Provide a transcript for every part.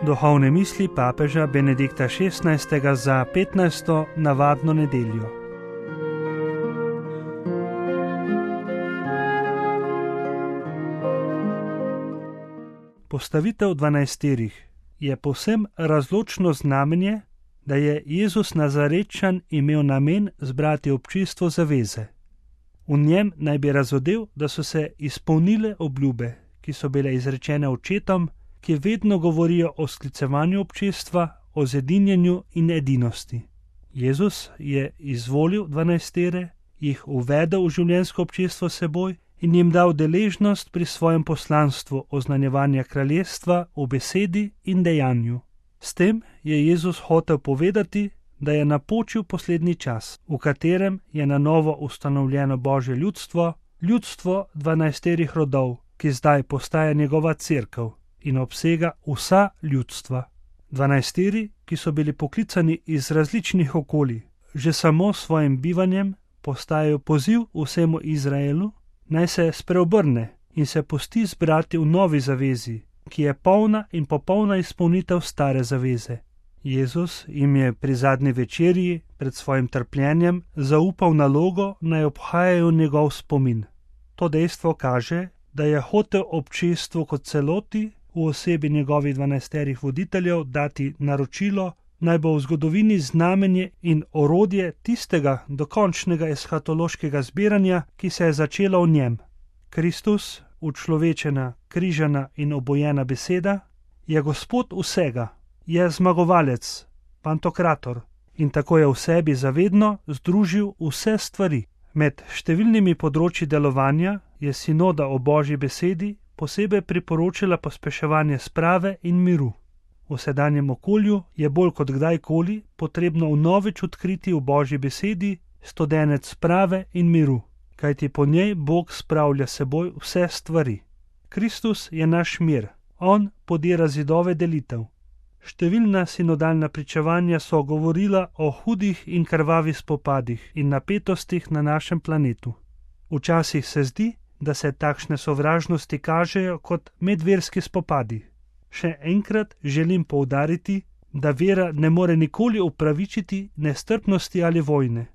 Duhovne misli papeža Benedikta XVI. Za 15. navadno nedeljo. Postavitev 12 je povsem razločno znamenje, da je Jezus Nazarečan imel namen zbrati občinstvo zaveze. V njem naj bi razodel, da so se izpolnile obljube, ki so bile izrečene očetom, ki vedno govorijo o sklicevanju občestva, o zedinjenju in edinosti. Jezus je izvolil 12, jih uvedel v življenjsko občestvo seboj in jim dal deležnost pri svojem poslanstvu oznanjevanja kraljestva v besedi in dejanju. S tem je Jezus hotel povedati, da je napočil poslednji čas, v katerem je na novo ustanovljeno Božje ljudstvo, ljudstvo 12 rodov, ki zdaj postaja njegova cerkev in obsega vsa ljudstva. 12, ki so bili poklicani iz različnih okolij, že samo s svojim bivanjem postajajo poziv vsemu Izraelu, naj se spreobrne in se pusti zbrati v novi zavezi, ki je polna in popolna izpolnitev stare zaveze. Jezus jim je pri zadnji večerji pred svojim trpljenjem zaupal nalogo, naj obhajajo njegov spomin. To dejstvo kaže, da je hotel občestvu kot celoti v osebi njegovih 12 voditeljev dati naročilo, naj bo v zgodovini znamenje in orodje tistega dokončnega eshatološkega zbiranja, ki se je začelo v njem. Kristus, učlovečena, križana in obojena beseda, je Gospod vsega, je zmagovalec, pantokrator in tako je v sebi zavedno združil vse stvari. Med številnimi področji delovanja je sinoda o Božji besedi posebej priporočila pospeševanje sprave in miru. V sedanjem okolju je bolj kot kdajkoli potrebno vnovič odkriti v Božji besedi studenec sprave in miru, kajti po njej Bog spravlja seboj vse stvari. Kristus je naš mir, on podira zidove delitev. Številna sinodalna pričevanja so govorila o hudih in krvavih spopadih in napetostih na našem planetu. Včasih se zdi, da se takšne sovražnosti kažejo kot medverski spopadi. Še enkrat želim poudariti, da vera ne more nikoli upravičiti nestrpnosti ali vojne.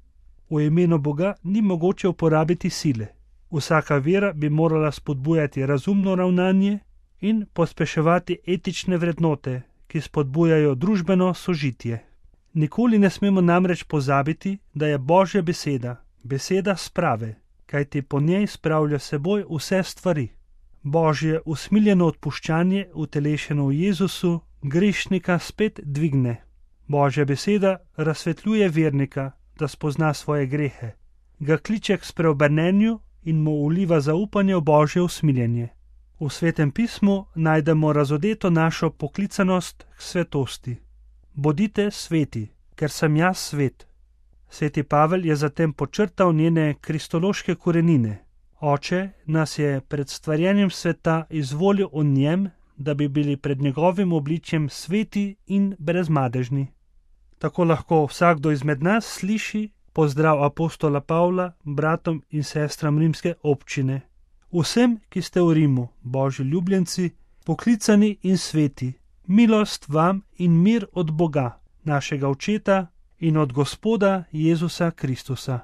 V imenu Boga ni mogoče uporabiti sile. Vsaka vera bi morala spodbujati razumno ravnanje in pospeševati etične vrednote, ki spodbujajo družbeno sožitje. Nikoli ne smemo namreč pozabiti, da je Božja beseda, beseda sprave, kajti po njej spravlja seboj vse stvari. Božje usmiljeno odpuščanje, utelešeno v Jezusu, grešnika spet dvigne. Božja beseda razsvetljuje vernika, da spozna svoje grehe, ga kliče k spreobrnenju in mu vliva zaupanje v Božje usmiljenje. V Svetem pismu najdemo razodeto našo poklicanost k svetosti. Bodite sveti, ker sem jaz svet. Sveti Pavel je zatem počrtal njene kristološke korenine. Oče nas je pred stvarjenjem sveta izvolil v njem, da bi bili pred njegovim obličjem sveti in brezmadežni. Tako lahko vsakdo izmed nas sliši pozdrav apostola Pavla bratom in sestram rimske občine. Vsem, ki ste v Rimu, Božji ljubljenci, poklicani in sveti, milost vam in mir od Boga, našega Očeta in od Gospoda Jezusa Kristusa.